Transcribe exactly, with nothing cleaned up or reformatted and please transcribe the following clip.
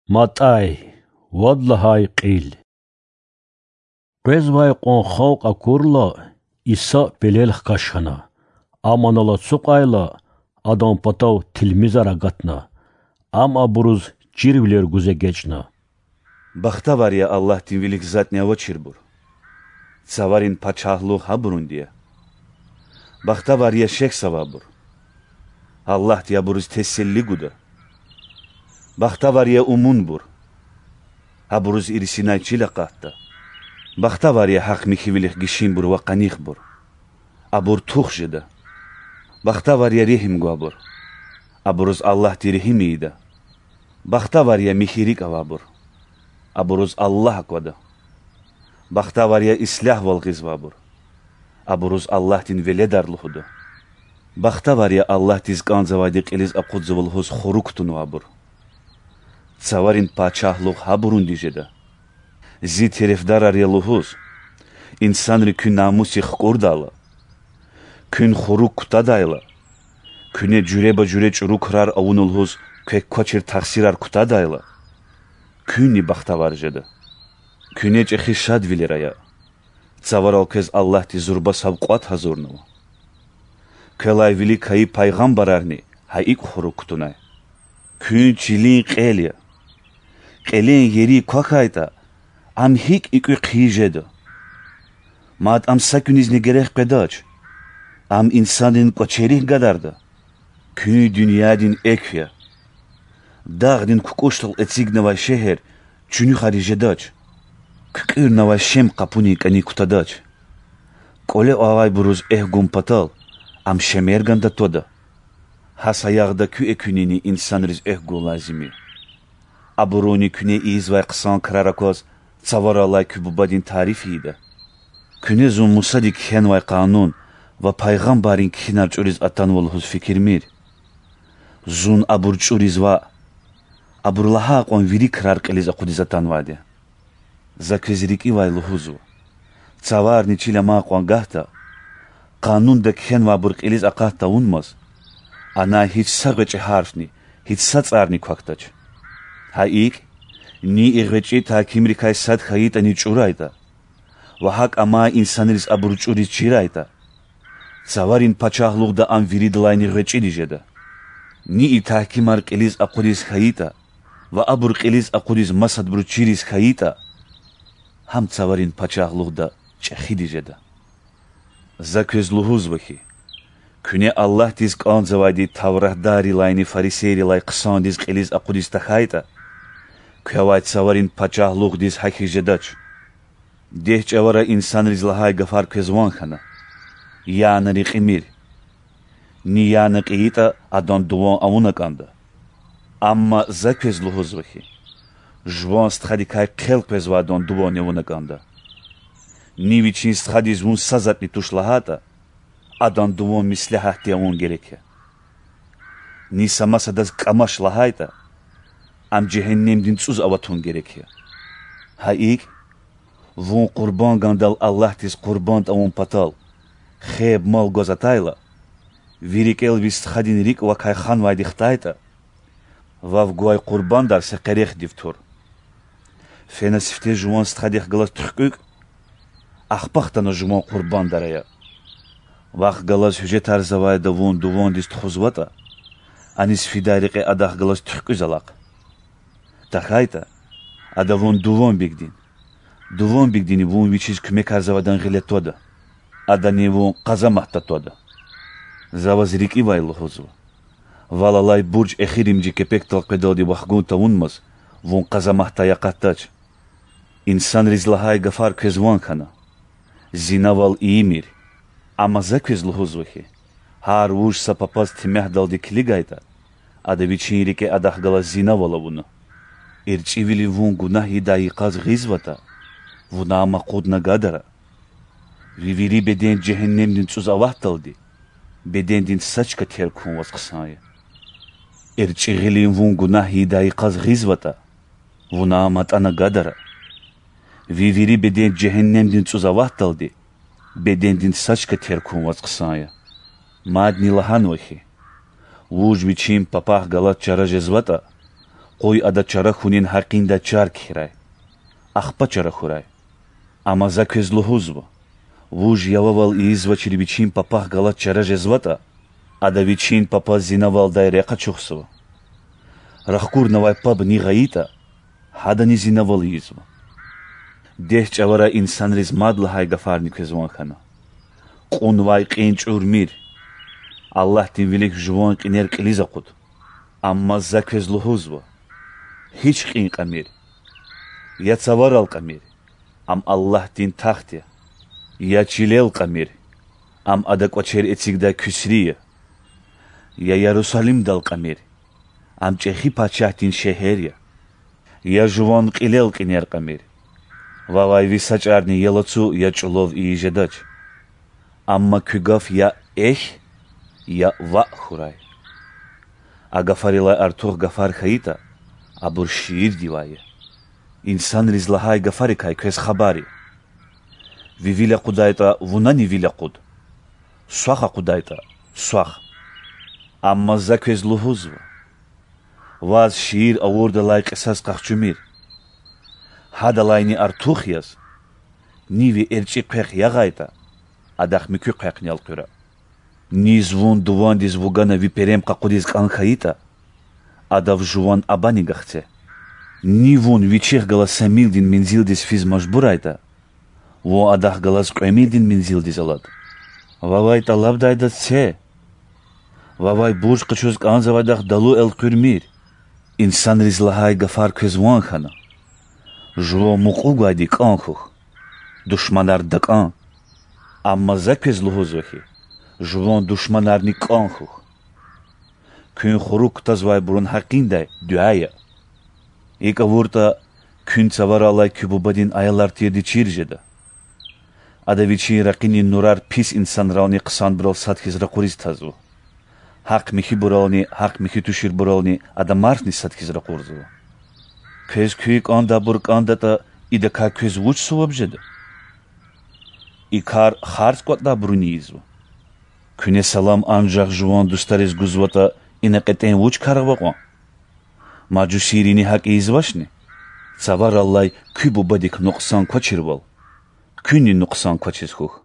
МатӀай, вад лагьай кьил. Къвезвай кьван халкь акурла, Иса пелел хкаж хьана. Ам анал ацукьайла, Адан патав тилмизар агатна. Ам абуруз чирвилер гуз эгечӀна. Бахтавар я Аллагьдин вилик затӀни авачирбур, Цаварин пачагьлугъ гьабурунди я. Бахтавар я шехьзавайбур, Аллагьди абуруз теселли гуда. Бахтавар я умунбур, абуруз ирсинай чил акъатда. Бахтавар я гьахъ-михьивилихъ гишинбур ва къанихбур, абур тух жеда. Бахтавар я регьим гвайбур, абуруз Аллагьди регьим ийида. Бахтавар я михьи рикӀ авайбур, абуруз Аллагь аквада. Бахтавар я ислягьвал гъизвайбур, абуруз Аллагьдин веледар лугьуда. Бахтавар я Аллагьдиз кӀанзавайди кьилиз акъудзава лугьуз хурук кутунвайбур, Цаварин пачагьлугъ гьабурунди жеда. Зи терефдарар я лугьуз, инсанри куь намусдик хкӀурдайла, куьн хурук кутадайла, куьне жуьреба-жуьре чӀуру крар авуна лугьуз квек квачир тахсирар кутадайла, куьнни бахтавар жеда. Куьне чӀехи шадвилер ая, Цаварал квез Аллагьди зурба савкьват гьазурнава. Квелай вилик кайи пайгъамбарарни гьа икӀ хурук кутунай. Куьн чилин кьел я. Кьелен ери квахьайтӀа, ам гьикӀ и кӀуьд хъийи жеда? Мад ам са куьнизни герек къведач. Ам инсанрин кӀвачерихъ гадарда. Куьн дуьньядин экв я. Дагъдин кукӀушдал эцигнавай шегьер чуьнуьхариз жедач, куькӀуьрнавай шем къапунин кӀаник кутадач. КӀвале авайбуруз экв гун патал, ам шемерганда твада. Гьа саягъда куь экуьнини инсанриз экв гун лазим я. Абуруни куьне ийизвай хъсан крар акваз Цаварал алай куь Бубадин тариф ийида. Куьне зун Мусади кхьенвай къанун ва пайгъамбаррин кхьинар чӀуриз атанва лугьуз фикирмир. Зун абур чӀуриз ваъ, абур лагьай кьван вири крар кьилиз акъудиз атанвайди я. За квез рикӀивай лугьузва: цаварни чил амай кьван гагьда, къанунда кхьенвайбур кьилиз акъат тавунмаз, анай гьич са гъвечӀи гьарфни, гьич са цӀарни квахьдач. Гьа икӀ, ни и гъвечӀи тагькимрикай сад хьайитӀани чӀурайтӀа ва гьакӀ амай инсанриз абур чӀуриз чирайтӀа, Цаварин пачагьлугъда ам виридалайни гъвечӀиди жеда. Ни и тагькимар кьилиз акъудиз хьайитӀа ва абур кьилиз акъудиз масадбуруз чириз хьайитӀа, гьам Цаварин пачагьлугъда чӀехиди жеда. За квез лугьузва хьи, куьне Аллагьдиз кӀанзавайди тавратдаррилайни фарисейрилай хъсандиз кьилиз акъудиз тахьайтӀа, квевай Цаварин пачагьлугъдиз гьахьиз жедач. Дегь чӀавара инсанриз лагьай гафар квез ван хьана: яна рекьимир, ни яна кьейитӀа, адан дуван авуна кӀанда. Амма За квез лугьузва хьи, жуван стхадикай хъел къвезвайдан дуван авуна кӀанда. Ни вичин стхадиз вун са затӀни туш лагьайтӀа, адан дуван меслягьатди авун герек я. Ни са масадаз кӀамач лагьайтӀа, ам жегьеннемдин цӀуз аватун герек я. Гьа икӀ, вун къурбанд гандал Аллагьдиз къурбанд авун патал хеб мал гваз атайла, ви рикӀел ви стхадин рикӀ вакай ханвайди хтайтӀа, вав гвай къурбандар са къерехдив тур. Фена сифте жуван стхадихъ галаз туьхкьуьк, ахпа хтана жуван къурбандар ая. Вахъ галаз гьуьжетарзавайда вун дувандиз тухузватӀа, аниз фидай рекье адахъ галаз туьхкьуьз алахъ. ТахьайтӀа, ада вун дуванбигдин, дуванбигдини вун вичиз куьмекарзавайдан гъиле твада, адани вун къазаматда твада. За ваз рикӀивай лугьузва: вал алай бурж эхиримжи кепекдал къведалди вахгун тавунмаз, вун къазаматдай акъатдач. Инсанриз лагьай гафар квез ван хьана: зинавал ийимир. Амма За квез лугьузва хьи, гьар вуж са папаз темягьдалди килигайтӀа, ада вичин рикӀе адахъ галаз зинавал авуна. ЭрчӀивилин вун гунагь ийидай йикъаз гъизватӀа, вуна ам акъудна гадара. Ви вири беден жегьеннемдин цӀуз аватдалди бедендин са чка терг хьун ваз хъсан я. ЭрчӀи гъилин вун гунагь ийидай йикъаз гъизватӀа, вуна ам атӀана гадара. Ви вири беден жегьеннемдин цӀуз аватдалди бедендин са чка терг хьун ваз хъсан я. Мадни лагьанва хьи, вуж вичин папахъ галаз чара жезватӀа, Къуй ада чара хьунин гьакъиндай чар кхьирай. Ахпа чара хьурай. Амма За квез лугьузва: вуж явавал ийизвачир вичин папахъ галаз чара жезватӀа, ада вичин папаз зинавалдай рехъ ачухзава. Рахкурнавай паб ни гъайитӀа, гьадани зинавал ийизва. Дегь чӀавара инсанриз мад лагьай гафарни квез ван хьана: кьунвай кьин чӀурмир, Аллагьдин вилик жуван кьинер кьилиз акъуд. Амма За квез лугьузва: гьич кьин кьамир, я цаварал кьамир, ам Аллагьдин тахт я, я чилел кьамир, ам ада кӀвачер эцигдай куьсри я, я Ярусалимдал кьамир, ам чӀехи пачагьдин шегьер я, я жуван кьилел кьинер кьамир. Вавай ви са чӀарни я лацу, я чӀулав ийиз жедач. Амма куь гаф я эхь, я ваъ хьурай. А гафарилай артух гафар хьайитӀа, абур шиирдивай я. Инсанриз лагьай гафарикай квез хабар я. Ви вил акъудайтӀа, вунани вил акъуд. Свах акъудайтӀа, свах. Амма За квез лугьузва: ваз шиир авурдалай кьисас къахчумир. Гьадалайни артух яз, ни ви эрчӀи хъвехъ ягъайтӀа, адахъ муькуь хъвехъни элкъуьра. Низ вун дувандиз вугана ви перем къакъудиз кӀан хьайитӀа, адав жуван абани гахце. Ни вун вичихъ галаз са милдин мензилдиз физ мажбурайтӀа, вун адахъ галаз кьве милдин мензилдиз алад. Вавай тӀалабдайдаз це, вавай бурж къачуз кӀанзавайдахъ далу элкъуьрмир. Инсанриз лагьай гафар квез ван хьана: жуван мукьув гвайди кӀан хьухь, душманар такӀан. Амма За квез лугьузва хьи: жуван душманарни кӀан хьухь. Куьн хурук кутазвайбурун гьакъиндай дуьа ая. ИкӀ авуртӀа, куьн цавараллай куь Бубадин аялар тирди чир жеда. Ада вичин ракъинин нурар пис инсанрални хъсанбурал сад хьиз ракъуриз тазва. Гьахъ-михьибурални гьахъ-михьи туширбурални ада марфни сад хьиз ракъурзава. Квез куь кӀандайбур кӀандатӀа, идакай квез вуч суваб жеда? И кар харц кӀватӀдайбуруни ийизва. Куьне салам анжах жуван дустариз гузватӀа, ина кьетӀен вуч кар ава кьван? Мажусийрини гьакӀ ийизвачни? Цавараллай куь Бубадик нукьсан квачирвал, куьнни нукьсан квачиз хьухь.